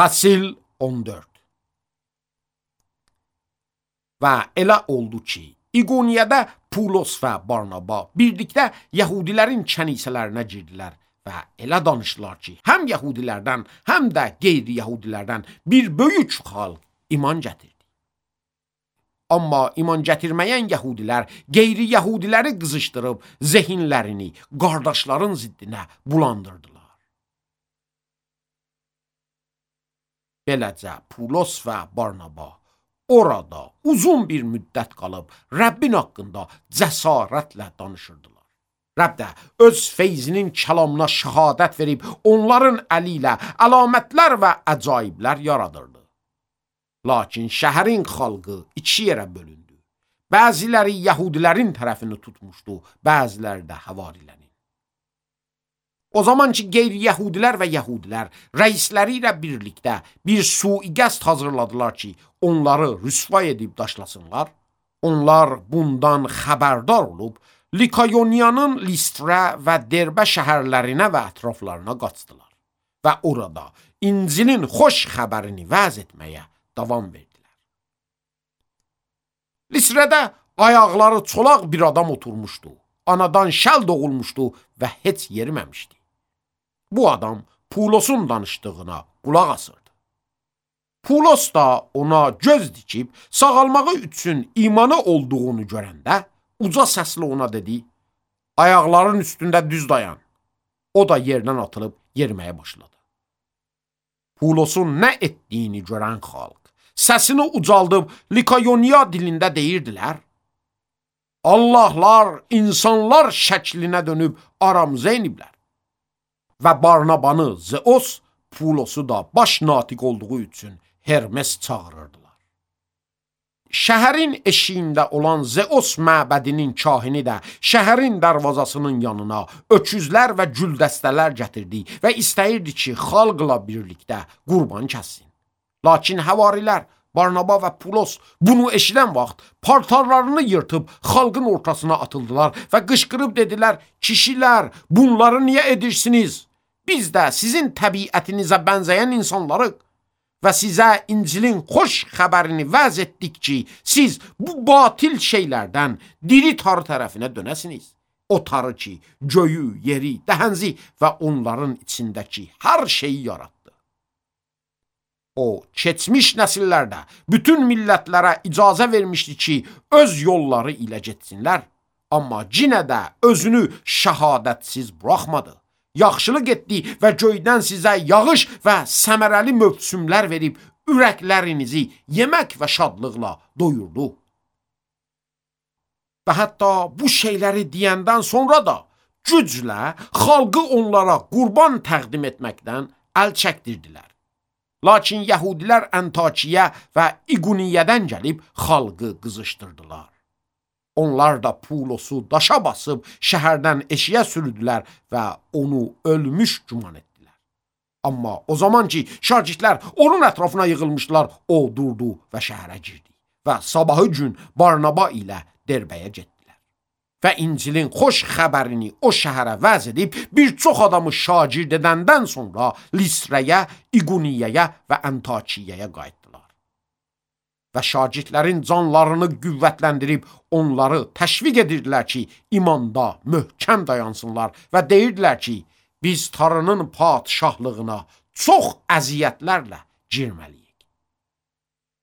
Fəsil 14. Və elə oldu ki, İqoniyədə Pulos və Barnaba birlikdə Yəhudilərin kənisələrinə girdilər və elə danışdılar ki, həm Yəhudilərdən, həm də qeyri-Yəhudilərdən bir böyük xalq iman gətirdi. Amma iman gətirməyən Yəhudilər qeyri-Yəhudiləri qızışdırıb zehinlərini qardaşların ziddinə bulandırdılar. Beləcə Pulos və Barnaba orada uzun bir müddət qalıb Rəbbin haqqında cəsarətlə danışırdılar. Rəbb də öz feyzinin kəlamına şəhadət verib onların əli ilə əlamətlər və əcaiblər yaradırdı. Lakin şəhərin xalqı iki yerə bölündü. Bəziləri Yəhudilərin tərəfini tutmuşdu, bəziləri də Havarilərin. O zaman ki, qeyri-Yəhudilər və Yəhudilər rəisləri ilə birlikdə bir sui-qəsd hazırladılar ki, onları rüsva edib daşlasınlar. Onlar bundan xəbərdar olub, Likayoniyanın Listra və Derbə şəhərlərinə və ətraflarına qaçdılar və orada İncilin xoş xəbərini vəz etməyə davam verdilər. Listrədə ayaqları çolaq bir adam oturmuşdu, anadan şəl doğulmuşdu və heç yeriməmişdi. Bu adam Pulosun danışdığına qulaq asırdı. Pulos da ona göz dikib sağalmağı üçün imanı olduğunu görəndə uca səslə ona dedi, ayaqların üstündə düz dayan. O da yerdən atılıb yeriməyə başladı. Pulosun nə etdiyini görən xalq səsini ucaldıb Likayoniya dilində deyirdilər, Allahlar insanlar şəklinə dönüb aramıza iniblər. Və Barnabanı Zeos, Pulosu da baş natiq olduğu üçün Hermes çağırırdılar. Şəhərin eşiyində olan Zeos məbədinin kahini də şəhərin darvazasının yanına öküzlər və güldəstələr gətirdi və istəyirdi ki, xalqla birlikdə qurban kəssin. Lakin Havarilər, Barnaba və Pulos bunu eşidən vaxt paltarlarını yırtıb xalqın ortasına atıldılar və qışqırıb dedilər, kişilər, bunları niyə edirsiniz? Biz də sizin təbiətinizə bənzəyən insanlarıq və sizə İncilin xoş xəbərini vəz etdik ki, siz bu batil şeylərdən diri tarı tərəfinə dönəsiniz. O tarı ki, göyü, yeri, dəhənzi və onların içindəki hər şeyi yaratdı. O, keçmiş nəsillərdə bütün millətlərə icazə vermişdi ki, öz yolları ilə getsinlər, amma cinə də özünü şəhadətsiz buraxmadı. Yaxşılıq etdi və göydən sizə yağış və səmərəli mövsümlər verib ürəklərinizi yemək və şadlıqla doyurdu. Və hətta bu şeyləri deyəndən sonra da güclə xalqı onlara qurban təqdim etməkdən əl çəkdirdilər. Lakin Yəhudilər Antakiya və İqoniyədən gəlib xalqı qızışdırdılar. Onlar da Pulosu daşa basıb şəhərdən eşiyə sürüdülər və onu ölmüş güman etdilər. Amma o zaman ki, şagirdlər onun ətrafına yığılmışdılar, o durdu və şəhərə girdi və sabahı gün Barnaba ilə Derbəyə getdilər. Və İncilin xoş xəbərini o şəhərə vəz edib bir çox adamı şagird edəndən sonra Listrəyə, İqoniyəyə və Antakiyəyə qayıtdılar. Və şagirdlərin canlarını qüvvətləndirib onları təşviq edirdilər ki, imanda möhkəm dayansınlar və deyirdilər ki, biz Tanrının padişahlığına çox əziyyətlərlə girməliyik.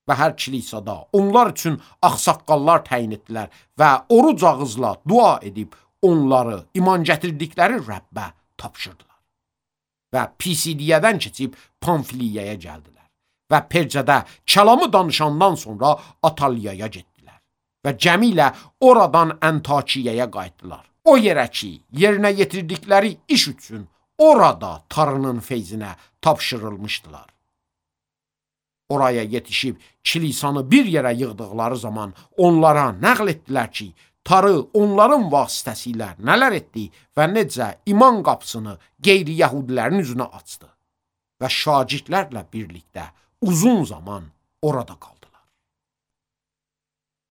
Və hər kilisada onlar üçün ağsaqqallar təyin etdilər və oruc ağızla dua edib onları iman gətirdikləri Rəbbə tapşırdılar. Və Pisidiyədən keçib Pamfiliyaya gəldilər. Və Percədə kəlamı danışandan sonra Ataliyaya getdilər və gəmi ilə oradan Antakiyaya qayıtdılar. O yerə ki, yerinə yetirdikləri iş üçün orada Tanrının feyzinə tapşırılmışdılar. Oraya yetişib kilisanı bir yerə yığdıqları zaman onlara nəql etdilər ki, Tanrı onların vasitəsilə nələr etdi və necə iman qapısını qeyri-Yəhudilərin üzünə açdı və şagirdlərlə birlikdə uzun zaman orada qaldı.